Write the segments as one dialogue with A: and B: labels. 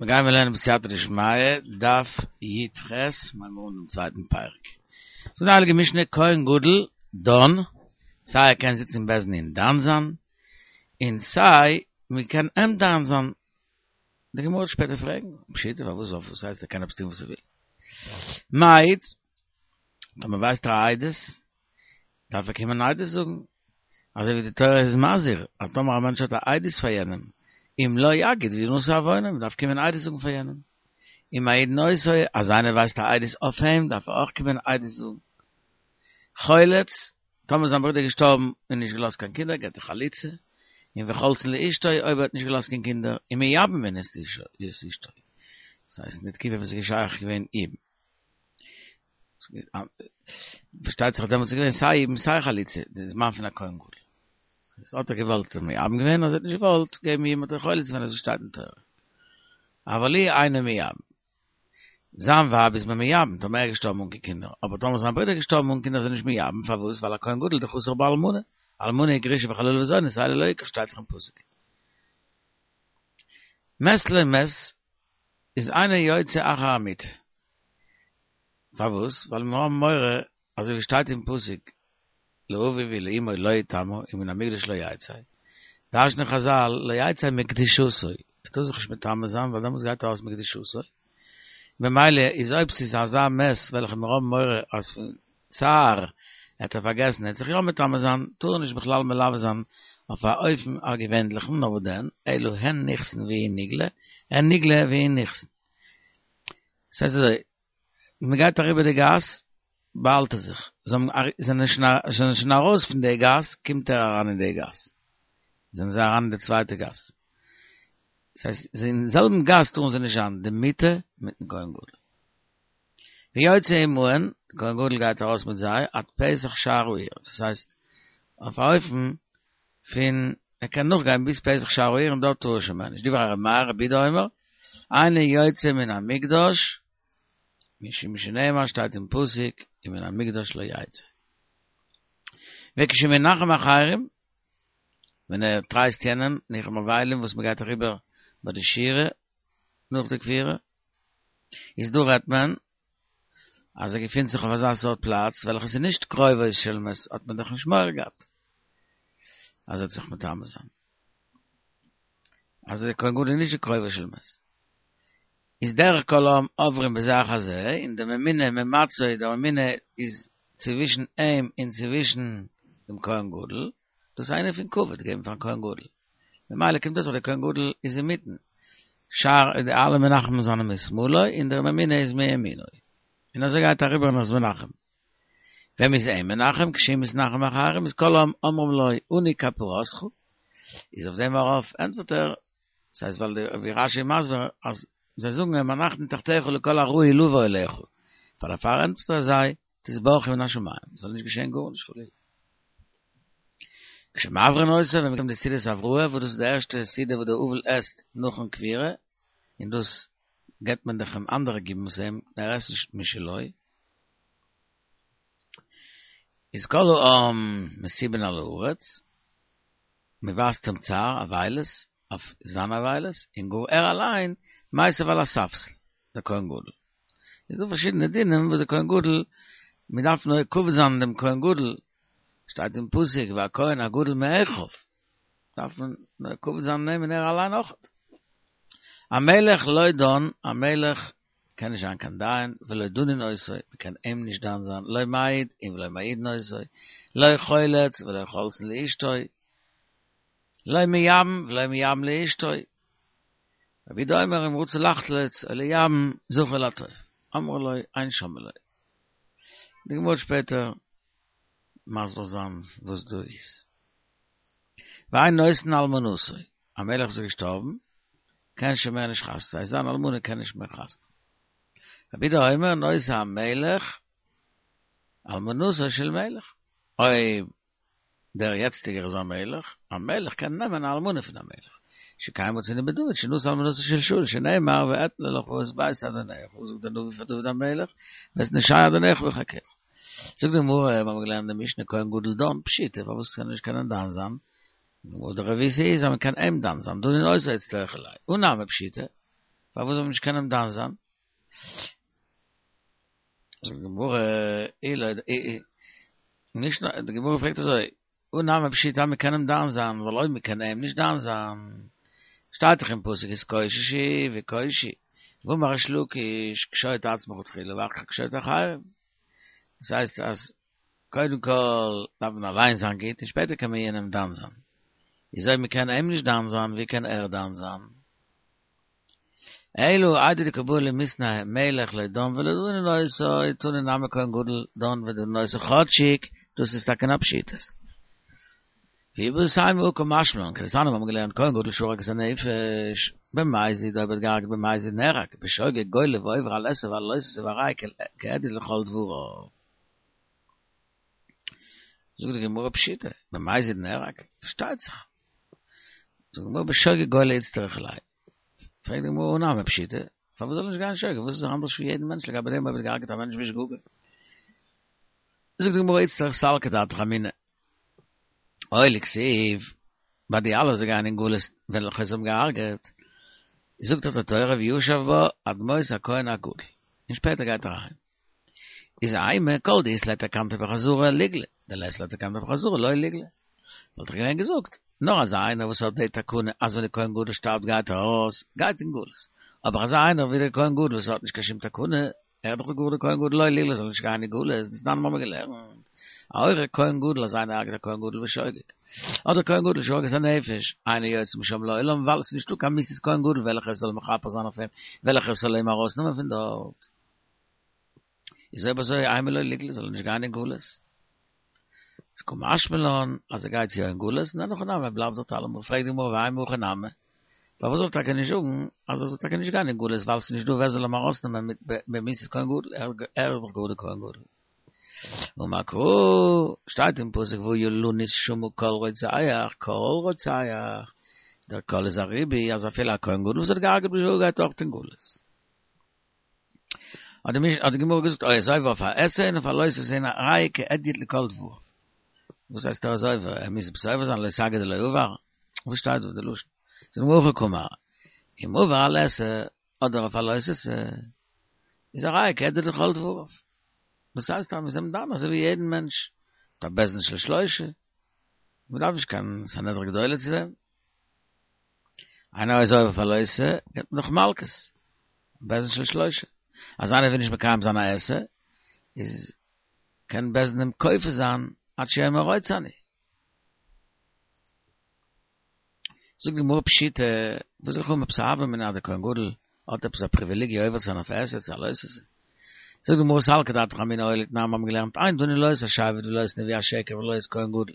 A: מיר גייען מיר לערנען בסייעתא דשמיא, דף י"ח, מיר הייבן אן דעם צווייטן פרק. זאגט די הייליגע משנה, כהן גדול דן, סיי ער קען זיצן אין בית דין און דן זיין, און סיי מען קען אים דן זיין. די גמרא וועט שפעטער פרעגן, פשיטא פארוואס וואס הייסט ער קען עפעס טון וואס ער וויל. מעיד, טאמער ווייסט ער א עדות, דארף ער קומען עדות זאגן, אזוי ווי די תורה איז מזהיר אז טאמער א מענטש האט א עדות פאר יענעם, אם לא יגיד וינשא עוונו, מען דארף קומען עדות זאגן פאר יענעם. ומעידין אותו, אז איינער ווייסט א עדות אויף אים, דארף ער אויך קומען עדות זאגן. חולץ, טאמער זיין ברודער איז געשטארבן און נישט געלאזט קיין קינדער, געט ער חליצה, און וחולצין לאשתו, אויב ער האט נישט געלאזט קיין קינדער, ומייבמין את אשתו. דאס הייסט אין די תקופה וואס איז שייך געווען יבום. פארשטייט זיך אז דעמאלטס איז געווען סיי יבום סיי חליצה, די זמן פון א כהן גדול. איז האט ער געוואלט האט מייבם געווען, אז ער האט נישט געוואלט געבן יבום האט ער חולץ געווען אזוי שטייט אין תורה. אבל הוא אינו מייבם. זיין ווייב איז מען מייבם טאמער ער איז געשטארבן אן קיין קינדער, אבער טאמער זיין ברודער איז געשטארבן אן קינדער איז ער נישט מייבם, פארוואס? ווייל א כהן גדול דחסר בו אלמנה, אלמנה וגרושה וחללה וזונה את אלה לא יקח שטייט דאך אין פסוק. מת לו מת איז אינו יוצא אחר המיטה. פארוואס? ווייל מיר האבן מורא, אזוי ווי שטייט אין פסוק, לאביו ולאמו לא יטמא ומן המקדש לא יצא, דרש'נען חזל לא יצא מקדושתו, ער טאר זיך נישט מטמא זיין ווייל דעמאלטס גייט ער ארויס מקדושתו, ממילא איז אויב ס'איז אזא מת וועלכע מיר האבן מורא אז פון צער העט ער פארגעסן ער העט זיך יא מטמא זיין, טאר ער נישט בכלל מלווה זיין אויף א אופן א געווענליכן, נאר וואס דען, אלא הן נכנסין והוא נגלה, הן נגלה והוא נכנסין. ס'הייסט אזוי, מ'גייט אריבער די גאס, באהאלט ער זיך, זיי זענען שוין ארויס פון די גאס, קומט ער אריין אין די גאס, זענען זיי אריין אין די צווייטע גאס, ס'הייסט אין זעלבן גאס טארן זיי נישט זיין, די מיטה מיטן כהן גדול. ויוצא עמהן, די כהן גדול גייט ארויס מיט זיי, עד פתח שער העיר, דאס הייסט, אויף א אופן פון ער קען נאכגיין ביז פתח שער העיר און דארט טאר ער שוין מער נישט, דברי ר' מאיר, רבי יהודה אומר, אינו יוצא מן המקדש, משום שנאמר שטייט אין פסוק, ומן המקדש לא יצא. וכשמנחם אחרים, ווען ער טרייסט יענעם, ניחום אבלים וואס מען גייט אריבער ביי די שירה נאך די קבורה, איז דא רעדט מען אז ער געפינט זיך אויף אזא סארט פלאץ וועלכע איז נישט קרובו של מת האט מען דאך נישט מורא געהאט אז ער וועט זיך מטמא זיין אז דער כהן גדול איז נישט די קרובו של מת איז דרך כל העם עוברים בזה אחר זה און די ממונה ממצעו די ממונה איז צווישן אים און צווישן דעם כהן גדול דאס איז אן ענין פון כבוד געבן פארן כהן גדול ממילא קומט אויס אז דער כהן גדול איז אינמיטן, שאר די אלע מנחמים זענען משמאלו און דער ממונה איז מימינו, און אזוי גייט אריבער און איז מנחם. ווען מ'איז אים מנחם, כשהוא מתנחם אחרים איז כל העם אומרים לו אנו כפרתך, איז אויף דעם ארויף ענטפערט ער, דאס הייסט ווייל די ווי רש"י איז מסביר אז זיי זאגן אים אנחנו תחתיך לכל הראוי לבוא אליך, פאר דערפאר ענטפערט ער זיי, תתברכו מן השמים, זאל נישט געשען גארנישט חלילה. כשמעברין אותו, ווען מ'קומט די סעודת הבראה, וואס דאס איז די ערשטע סעודה וואס דער אבל עסט נאכן קבורה, און דאס געבט מען דאך אים אנדערע גיבן עס אים, ער עסט נישט משלו. איז כל העם משיבין על הארץ, מ'ווייזט אים צער, אבילות, אויף זיין אבילות, און גאר ער אליין מיסב על הספסל, דער כהן גדול. איז דא פארשידענע דינים וואס דער כהן גדול, מען דארף נוהג כבוד זיין דעם כהן גדול, שטייט אין פסוק והכהן הגדול מאחיו, דארף מען נוהג כבוד זיין אים און ער אליין אויך. המלך לא דן, א מלך קען נישט זיין קיין דיין, ולא דנין אותו, מען קען אים נישט דן זיין, לא מעיד און ולא מעידין אותו, לא חולץ ולא חולצין לאשתו, לא מייבם ולא מייבמין לאשתו. רבי יהודה אומר אם רצה לחלוץ או לייבם זכור לטוב. אמרו לו אין שומעין לו. די גמרא וועט שפעטער מסביר זיין וואס דא איז. ואין נושאין אלמנתו, א מלך וואס איז געשטארבן קען שוין מער נישט חתונה, ס'הייסט זיין אלמנה קען נישט מער חתונה. רבי יהודה אומר נושא המלך אלמנתו של מלך. אויב דער יעצטיגער איז א מלך, א מלך קען נעמען א אלמנה פון א מלך. שכן מצינו בדוד שנשא אלמנתו של שאול שנאמר ואתנה לך את בית אדונך, זאגט דער נביא פאר דוד המלך, ואת נשי אדונך בחיקך. זאגט די גמרא, מיר האבן געלערנט די משנה כהן גדול דן, פשיטא, פארוואס קען ער נישט קענען דן זיין? די גמרא די רבותא איז אז מען קען אים דן זיין, דנין אותו אצטריכא ליה, הא נמי פשיטא. פארוואס זאל מען נישט קענען דן זיין? זאגט די גמרא, אלא, נישט נאר, די גמרא פרעגט אזוי, הא נמי פשיטא אז מ'קען אים דן זיין, ווייל אויב מ'קען אים נישט דן זיין, שטייט דאך אין פסוק התקוששו וקושו, ואמר ריש לקיש, קשוט עצמך תחילה ואחר כך קשוט אחרים. דאס הייסט אז קודם כל דארף מען אליין זיין גוט און שפעטער קען מען יענעם דן זיין. איז אויב מ'קען אים נישט דן זיין, ווי קען ער דן זיין? אלא איידי דקא בעי למיתני מלך לא דן ולא דנין אותו, תנא נמי כהן גדול דן ודנין אותו כאטשיג דאס איז טאקע א פשיטות. ואיבעית אימא הא קא משמע לן, כדתניא מיר האבן געלערנט כהן גדול שהרג את הנפש, במזיד אויב ער האט געהארגעט במזיד נהרג, בשוגג גולה ועובר על עשה ועל לא תעשה והראיה כהדיוט לכל דבריו. זאגט די גמרא פשיטא, במזיד נהרג? פארשטייט זיך. זאגט די גמרא בשוגג גולה איצטריך ליה. פרעגט די גמרא הא נמי פשיטא, פארוואס זאל ער נישט גיין שוגג, וואס איז ער אנדערש פון יעדן מענטש לגבי דעם אויב ער האט געהארגעט א מענטש בשגגה? זאגט די גמרא איצטריך סלקא דעתך אמינא, אוי לכתיב, ביי די אלע וואס גייען אין גלות וועלכע זיי האבן געהארגעט, זאגט דאך די תורה וישב בה עד מות הכהן הגדול, און שפעטער גייט ער אהיים. איז אימא כל דאית ליה תקנתא בחזרה ליגלי, דלית ליה תקנתא בחזרה לא ליגלי. וואלט איך געווען געזאגט, נאר אזא איינער וואס האט די תקנה אז ווען די כהן גדול שטארבט גייט ער ארויס, גייט אין גלות. אבער אזא איינער ווי דער כהן גדול וואס האט נישט קיין שום תקנה, ער איז דאך גאר דער כהן גדול לא ליגלי זאל נישט גיין אין גלות, דתנן מיר האבן געלערנט, ההורג כהן גדול אז איינער הרג'ט א כהן גדול בשוגג, אדער כהן גדול שהרג את הנפש, אינו יוצא משם לעולם ווייל עס איז נישטא קיין מיתת כהן גדול וועלכע עס זאל מכפר זיין אויף אים, וועלכע עס זאל אים ארויסנעמען פון דארט. איז אויב אזוי אימא לא ליגלי זאל ער נישט גיין אין גלות. איז קא משמע לן אז ער גייט יא אין גלות און אין הכי נמי ער בלייבט דארט אלעמאל, פרעגט די גמרא ואימא הכי נמי, פארוואס זאל ער טאקע נישט זאגן אז ער זאל טאקע נישט גיין אין גלות ווייל ס'איז נישט דא ווער זאל אים ארויסנעמען מיט במיתת כהן גדול, ער איז דאך גאר די כהן גדול. אמר קרא, שטייט אין פסוק והיה לנוס שמה כל רוצח, כל רוצח, דער כל איז א ריבוי אז אפילו א כהן גדול וואס האט געהארגעט בשוגג גייט אויך אין גלות. האט די האט די גמרא געזאגט או איז עובר אויף א עשה און אויף א לא תעשה און הרי כהדיוט לכל דבריו. וואס הייסט ער איז עובר? ער מוז עפעס עובר זיין לא תגיד דלא עבר? וואס שטייט דא די לשון? זאגט די גמרא הכי קאמר, אם עבר על עשה אדער אויף א לא תעשה איז הרי כהדיוט לכל דבריו. דאס הייסט אז מ'איז אים דן אזוי ווי יעדן מענטש, מיט א בית דין של שלושה, מ'דארף נישט קיין סנהדרין גדולה צו דעם. איינער איז עובר אויף א לא תעשה, געבט מען נאך מלקות, בית דין של שלושה. אז איינער וויל נישט מקיים זיין א עשה, איז קען בית דין אים כופה זיין עד שיאמר רוצה אני. זאגט די גמרא פשיטא, וואס זאל איך האבן עפעס א הוה אמינא אז דער כהן גדול האט עפעס א פריוויליגיע עובר צו זיין אויף עשה צו א לא תעשה? זאגט די גמרא סלקא דעתך אמינא הואיל ותנן מיר האבן געלערנט אין דנין לא את השבט ולא את נביא השקר ולא את כהן גדול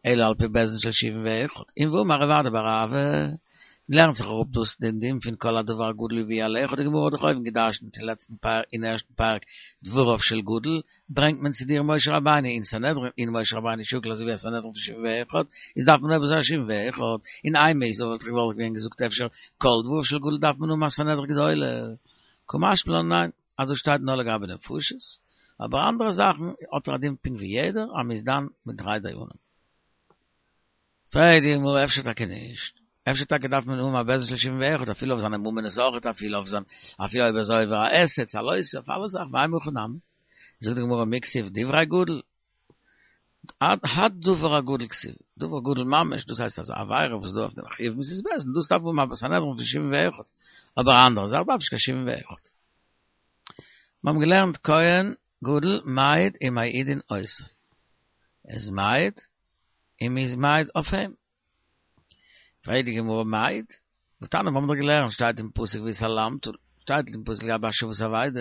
A: אלא על פי בית דין של שבעים ואחד און ואמר רב אדא בר אהבה לערנט זיך אראפ דאס דעם דין פון כל הדבר הגדול יביאו על אחד די גמרא האט דאך אויבן געדרשנט אין לעצטן פרק אין ערשטן פרק דבריו של גדול ברענגט מען צו דיר משה רבינו אין סנהדרין און משה רבינו שקול אזוי ווי א סנהדרין פון שבעים ואחד איז דארף מען אויב אזוי א שבעים ואחד און אימא איז וואלט איך געוואלט געווען געזאגט אפשר כל דבריו של גדול דארף מען האבן א סנהדרין גדולה קא משמע לן ניין אז דאס שטייט נאר לגבי נפשות אבער אנדערע זאכן האט ער א דין פונקט ווי יעדער אז מ'איז דן מיט דריי דיינים. פרעגט די גמרא אפשר טאקע נישט, אפשר טאקע דארף מען האבן א בית דין של שבעים ואחד אפילו אויף זיינע ממונות אויכעט אפילו אויף זיין אפילו אויב ער איז עובר א עשה צו א לא תעשה אויף אלע זאכן ואימא הכי נמי, זאגט די גמרא מי כתיב דברי גדול, הדבר הגדול כתיב, דבר גדול ממש, דאס הייסט אז א עבירה וואס איז דא אויף דעם חיוב מיתת בית דין, דאס דארף האבן א סנהדרין פון שבעים ואחד, אבער א אנדערע זאך דארף נישט קיין שבעים ואחד. מיר האבן געלערנט כהן גדול מעיד ומעידין אותו, ער איז מעיד און מ'איז מעיד אויף אים. פרעגט די גמרא מעיד? והתניא מיר האבן דאך געלערנט שטייט אין פסוק והתעלמת, שטייט אין פסוק לגבי השבת אבידה,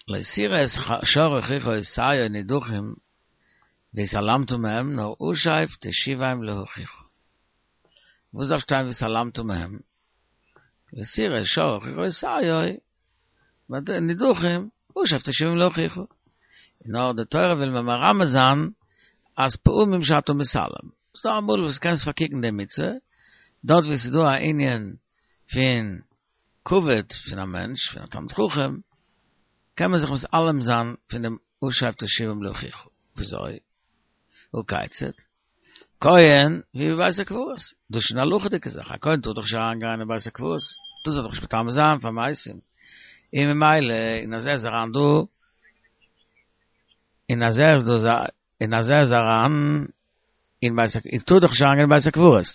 A: לא תראה את שור אחיך עושיו נדחים והתעלמת מהם נאר השב תשיבם לאחיך. וואס דארף שטיין והתעלמת מהם? לא תראה את שור אחיך עושיו נדחים השב תשיבם לאחיך. נאר די תורה וויל מיר מרמז זיין אז פעמים שאתה מתעלם. ס'דא אמאל וואס קענסט פארקוקן די מצוה, דארט ווי ס'איז דא א ענין פון כבוד פון א מענטש, פון א תלמיד חכם, קען מען זיך מתעלם זיין פון דעם השב תשיבם לאחיך. וויאזוי? הא כיצד? כהן והוא בבית הקברות, דאס איז שוין א הלכה'דיגע זאך, א כהן טאר דאך נישט אריין גיין אין בית הקברות, טאר זיך דאך נישט מטמא זיין פאר מתים, און ממילא און אז ער איז אריין דא, און אז ער איז דא און אז ער איז אריין אין בית הקברות, טאר דאך נישט אריין גיין אין בית הקברות.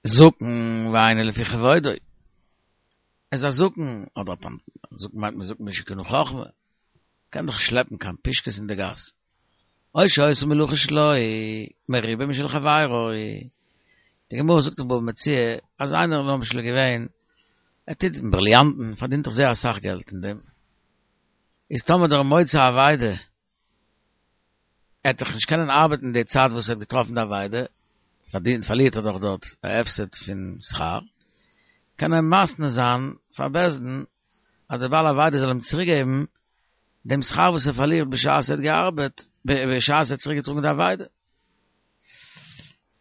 A: זקן ואינו לפי כבודו. איז א זקן, אדער א זקן מיינט מען זקן מי שקנה חכמה, קען דאך נישט שלעפן קיין פושקעס אין די גאס. או שהיתה מלאכה שלו מרובה משל חברו. די גמרא זאגט אין בבא מציעא אז איינער למשל איז געווען, ער טוט אין בריליאנטן, פארדינט דאך זייער אסאך געלט אין דעם, איז טאמער דער מוצא אבידה ער וועט דאך נישט קענען ארבעטן די צייט וואס ער האט געטראפן די אבידה, פארדינט פארלירט ער דאך דארט א הפסד פון שכר, קען ער מתנה זיין פאר בית דין אז דער בעל אבידה זאל אים צוריק געבן דעם שכר וואס ער פארלירט בשעת ער האט געארבעט, בשעת ער האט צוריק געטראגן די אבידה.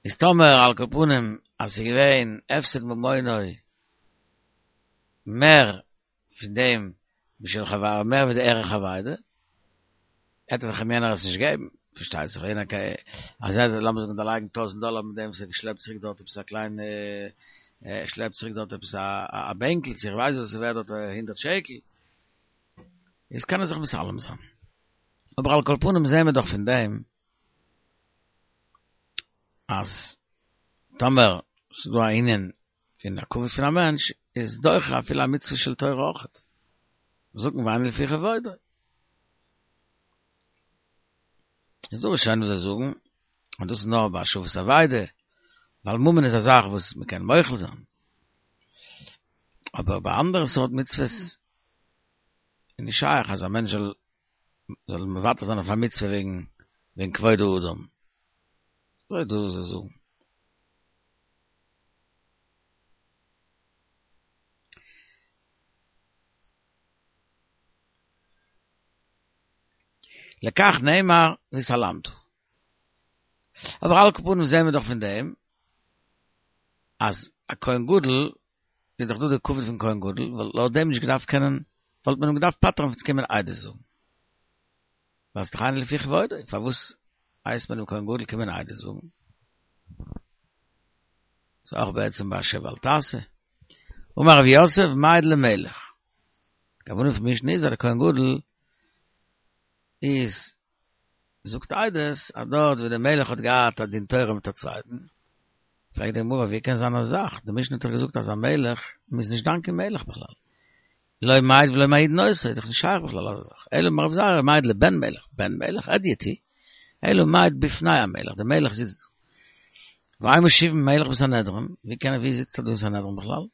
A: איז טאמער על כל פנים אז ס'איז געווען הפסד ממונו מער פון דעם משל חברו מער ווי די ערך אבידה, וועט דאך אים יענער עס נישט געבן, פארשטייט זיך יענער קען אז ער זאל לאמיר זאגן דערלייגן טויזנט דאלער מיט דעם וואס ער האט געשלעפט צוריק דארט עפעס א קליינע ער שלעפט צוריק דארט עפעס א בענקל צו איך ווייס וואס איז ווערט דארט הונדערט שקל, איז קען ער זיך מתעלם זיין. אבער על כל פנים זעהן מיר דאך פון דעם אז טאמער ס'איז דא א ענין פון א כבוד פון א מענטש איז דוחה אפילו א מצוה של תורה אויכעט. זקן ואינו לפי כבודו. איז דא ראשונים וואס זיי זאגן אז דאס איז נאר ביי השבת אבידה, ווייל ממון איז א זאך וואס מען קען מוחל זיין. אבער ביי אנדערע סארט מצוות איז נישט שייך אז א מענטש זאל זאל מוותר זיין אויף א מצוה וועגן וועגן כבוד האדם. אזוי איז דא וואס זיי זאגן. לכך נאמר והתעלמת. אבער על כל פנים זעהן מיר דאך פון דעם אז א כהן גדול איז דאך דא די כבוד פון כהן גדול, וואלט לויט דעם נישט געדארפט קענען, וואלט מען אים געדארפט פטר'ן פון צו קומען עדות זאגן. ווייל ס'איז דאך אינו לפי כבודו, פארוואס הייסט מען דעם כהן גדול קומען עדות זאגן? ס'איז אויך בעצם ביי שב ואל תעשה. אמר רב יוסף מעיד למלך. די כוונה פון משנה איז אז דער כהן גדול איז זאגט עדות אז דארט ווי דער מלך האט געהאט א דין תורה מיט א צווייטן, פרעגט די גמרא ווי קען זיין אזא זאך, די משנה האט דאך געזאגט אז א מלך, מ'איז נישט דן קיין מלך בכלל, לא מעיד ולא מעידין אותו, איז דאך נישט שייך בכלל אזא זאך, אלא אמר רבי זירא מעיד לבן מלך, בן מלך הדיוט הוא, אלא מעיד בפני המלך, דער מלך זיצט דא. והאי מושיבין מלך בסנהדרין, ווי קען ער ווי זיצט ער דא אין סנהדרין בכלל?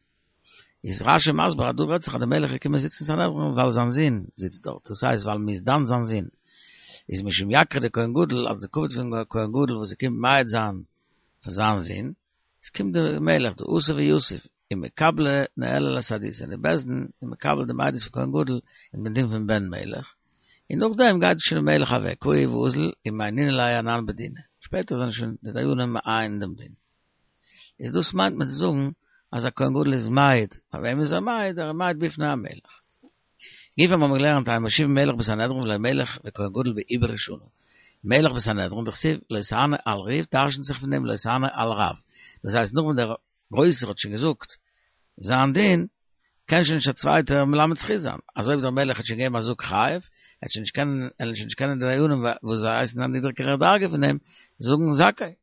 A: איז רשי מסביר אז דא רעדט זיך אז דער מלך איז געקומען זיצן אין סנהדרין ווייל זיין זון זיצט דארט, דאס הייסט ווייל מ'איז דן זיין זון, איז משום יקרא דכהן גדול אז די כבוד פון כהן גדול וואס ער קומט מעיד זיין פאר זיין זון, עס קומט דער מלך דא אתא ויתיב ומקבלי ניהלה לסהדותא און די בית דין איז מקבל דעם עדות פון כהן גדול אין דעם דין פון בן מלך, און נאכדעם גייט שוין דער מלך אוועק קאי ואזיל ומעיינינן ליה אנן בדינא, שפעטער זענען שוין די דיינים מעיין דעם דין. איז דאס מיינט מען צו זאגן אז א כהן גדול איז מעיד, פאר וועם איז ער מעיד? ער איז מעיד בפני המלך. גופא האבן מיר געלערנט אין מושיבין מלך בסנהדרין ולא מלך וכהן גדול בעיבור שנה. מלך בסנהדרין דכתיב לא תענה על ריב דרשנ'ט זיך פון דעם לא תענה על רב. דאס הייסט נאך ווען דער גרויסער האט שוין געזאגט זיין דין, קען שוין נישט א צווייטער מלמד זכות זיין. אזוי ווי דער מלך האט שוין געגעבן א זאג חייב, ער האט שוין נישט קענען, ער שוין נישט קענען די דיינים וואס זיי הייסן א נידריגערע דרגה פון אים, זאגן זכאי.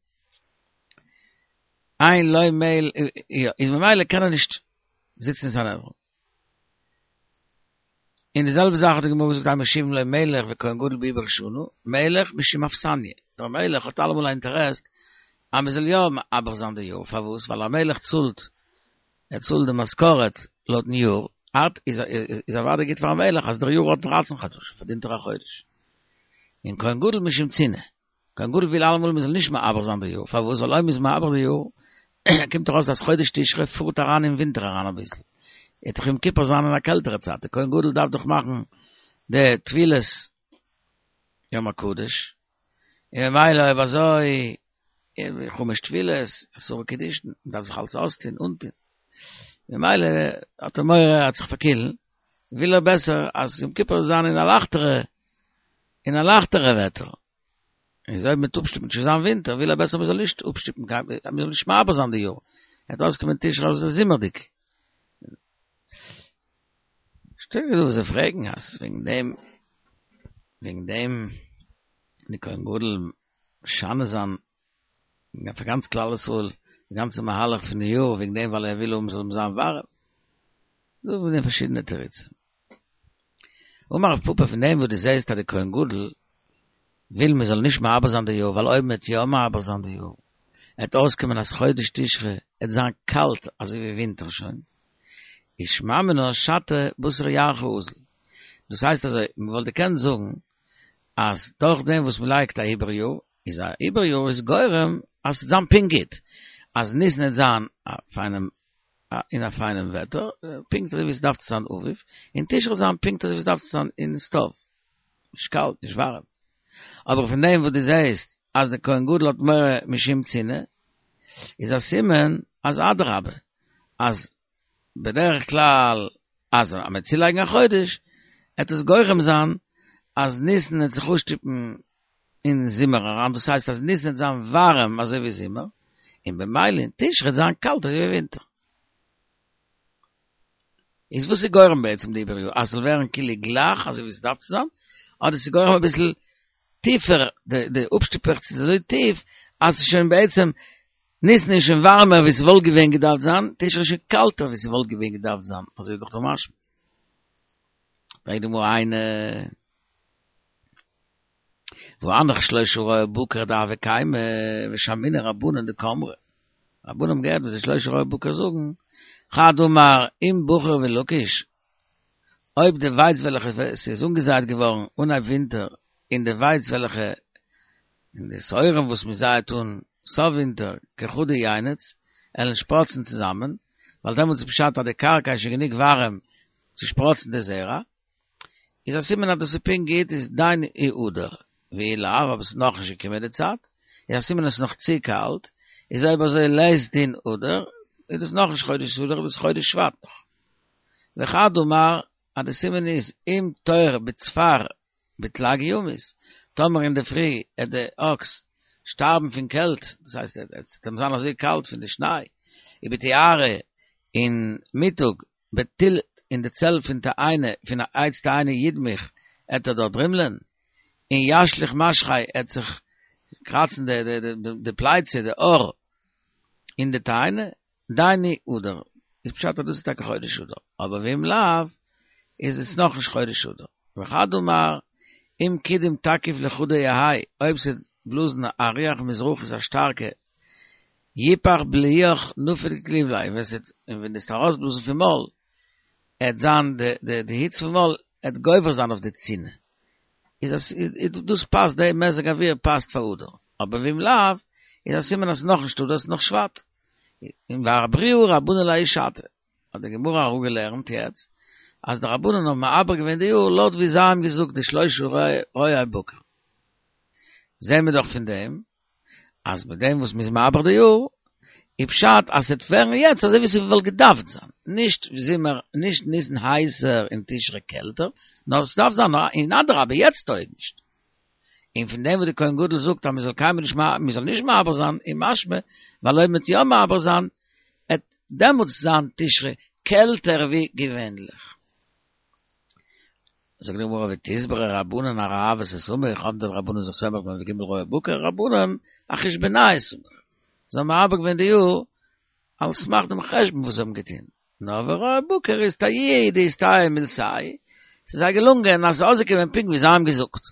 A: אין לא מל איז ממילא קען ער נישט זיצן אין סנהדרין. און די זעלבע זאך האט די גמרא געזאגט אין מושיבין לא מלך וכהן גדול בעיבור שנה, מלך משום אכסניא, דער מלך האט אלעמאל א אינטערעסט אז מען זאל יא מעבר זיין די יאר, פארוואס? ווייל א מלך צאלט, ער צאלט די משכורת לויטן יאר, אט איז איז אוודאי גוט פארן מלך אז דער יאר האט דרייצן חדשים, פארדינט ער א חודש. און כהן גדול משום צנעה, כהן גדול וויל אלעמאל מען זאל נישט מעבר זיין די יאר, פארוואס? ווייל אויב מען איז מעבר די יאר, קומט דאך אויס אז חודש תשרי פארט אריין אין ווינטער אריין אביסל, וועט דאך יום כיפור זיין אין א קעלטערע צייט, די כהן גדול דארף דאך מאכן די טבילת יום הקדוש, און ממילא אויב אזוי, חמש טבילות, עשרה קידושין, מען דארף זיך אלץ אויסטון, אנטון, ממילא האט ער מורא ער וועט זיך פארקילן. וויל ער בעסער אז יום כיפור זאל זיין אין א לייכטערע, אין א לייכטערע וועטער. איז אויב מ'וועט אפשטופן ס'וועט זיין ווינטער, וויל ער בעסער מ'זאל נישט אפשטופן קיין, מ'זאל נישט מעבר זיין די יאר. ער וועט אויסקומען תשרי אז עס איז זומערדיג. שטייט דא וואס זיי פרעגן אז וועגן דעם, וועגן דעם די כהן גדול משנה זיין פאר גאנץ כלל ישראל די גאנצע מהלך פון די יאר וועגן דעם ווייל ער וויל האבן זאל זיין ווארעם. דא איז דא פארשידענע תירוצים. אמר רב פפא פון דעם וואס דו זעסט אז די כהן גדול וויל מען זאל נישט מעבר זיין די יאר ווייל אויב מען וועט יא מעבר זיין די יאר עט אויסקומען אז חודש תשרי עט זיין קאלט אזוי ווי ווינטער שוין איז שמע מינה שתא בתר ירחא אזיל. דאס הייסט אזוי מען וואלט געקענט זאגן אז דורך דעם וואס מען לייגט א עיבור יאר איז א עיבור יאר איז גורם אז ס'וועט זיין פונקט גוט, אז ניסן וועט זיין א פיינעם אין א פיינעם וועטער, פונקט אזוי ווי ס'דארף צו זיין אביב, און תשרי וועט זיין פונקט אזוי ווי ס'דארף צו זיין אין סטאוו, נישט קאלט נישט ווארעם. אבער פון דעם וואס דו זעסט אז דער כהן גדול האט מורא משום צינה, איז א סימן אז אדרבה, אז בדרך כלל אז מ'וועט צולייגן א חודש, עט עס גורם זיין אז ניסן וועט זיך אפשטופן אין זומער אריין, דאס הייסט אז ניסן וועט זיין ווארעם אזוי ווי זומער, און במילא אין תשרי וועט זיין קאלט אזוי ווי ווינטער. איז וואס איז גורם בעצם די עיבור יאר? אז ס'זאל ווערן כאילו גלייך אזוי ווי ס'דארף צו זיין, אדער ס'איז גורם אביסל טיפער, די אפשטופעכץ איז אזוי טיף אז ס'איז שוין בעצם ניסן איז שוין ווארעמער ווי ס'וואלט געווען געדארפט זיין, תשרי איז שוין קאלטער ווי ס'וואלט געווען געדארפט זיין, אזוי איז דאך דא משמע. פרעגט די גמרא היינו והא הנך שלשה רועי בקר דהוו קיימי ושמעינהו רבנן דקאמרי. רבנן האבן געהערט וואס די שלשה רועי בקר זאגן, חד אמר אם בחיר ולקיש, אויב די ווייץ וועלכע ס'איז אנגעזייט געווארן אנהייב ווינטער און די ווייץ וועלכע און די שעורים וואס מען זייעט אן סוף ווינטער כחדא ינץ עלן שפראצן צוזאמען, ווייל דעמאלטס איז פשט אז די קרקע איז שוין גענוג ווארעם צו שפראצן די זרע, איז א סימן אז דאס איז פונקט גוט איז דיינו אדר, ואי לאו אבער ס'איז נאכנישט געקומען די צייט, איז א סימן אז ס'איז נאך צו קאלט, איז אויב אזוי לית דין אדר, איז דאס נאכנישט חודש אדר איז דאס חודש שבט נאך. וחד אמר אז די סימן איז אם תור בצפר בתלג ימות, טאמער אינדערפרי עט די אקס שטארבן פון קעלט, דאס הייסט עס וועט אים זיין אזוי קאלט פון די שניי, ובתיארא אין מיטאג בתלתא אין די צל פון תאנה פון א עץ תאנה ידמוך עט ער דארט דרימלען, און ישליך משכיה עט זיך קראצן די פלייצע די האר אין די תאנה, דיינו אדר, איז פשט אז דאס איז טאקע חודש אדר, אבער ואם לאו איז עס נאכנישט חודש אדר, וחד אמר אם קידים תקיף לחודא יהי, אויב ס'וועט בלאזן א רוח מזרחית א שטארקע, יפח בליעך נפיק לבלעיה, ווען ס'וועט און ווען דו וועסט ארויסבלאזן פון מויל, עט זיין די די די היץ פון מויל עט גובר זיין אויף די צינה, איז אז דאס פאסט די מזג אוויר פאסט פאר אדר, אבער ואם לאו איז א סימן אז ס'איז נאכנישט אדר ס'איז נאך שבט. און ואעברוה רבנן להאי שעתא, האט די גמרא אראפגעלערנט יעצט אז די רבנן האבן מעבר געווען די יאר לויט ווי זיי האבן געזאגט די שלשה רועי בקר. זעהן מיר דאך פון דעם אז מיט דעם וואס מ'איז מעבר די יאר, איז פשט אז ס'וועט ווערן יעצט אזוי ווי ס'וואלט געדארפט זיין, נישט זומער, נישט ניסן הייסער און תשרי קעלטער, נאר ס'דארף זיין און אדרבה יעצט טויג נישט. און פון דעם וואס די כהן גדול זאגט אז מ'זאל קיינמאל נישט מ'זאל נישט מעבר זיין איז משמע ווייל אויב מ'וועט יא מעבר זיין עט דעמאלטס זיין תשרי קעלטער ווי געווענליך. זאגט די גמרא ותסברא רבנן אראוותא סמיך, האבן די רבנן זיך סומך געווען אויף די ג' רועי בקר, רבנן אחשבונייהו סמיך, זיי האבן מעבר געווען די יאר על סמך דעם חשבון וואס זיי האבן געטון, נאר ורועי בקר איסתייעו הוא דאיסתייעו מילתייהו, ס'איז זיי געלונגען אז ס'איז אויסגעקומען פונקט ווי זיי האבן געזאגט.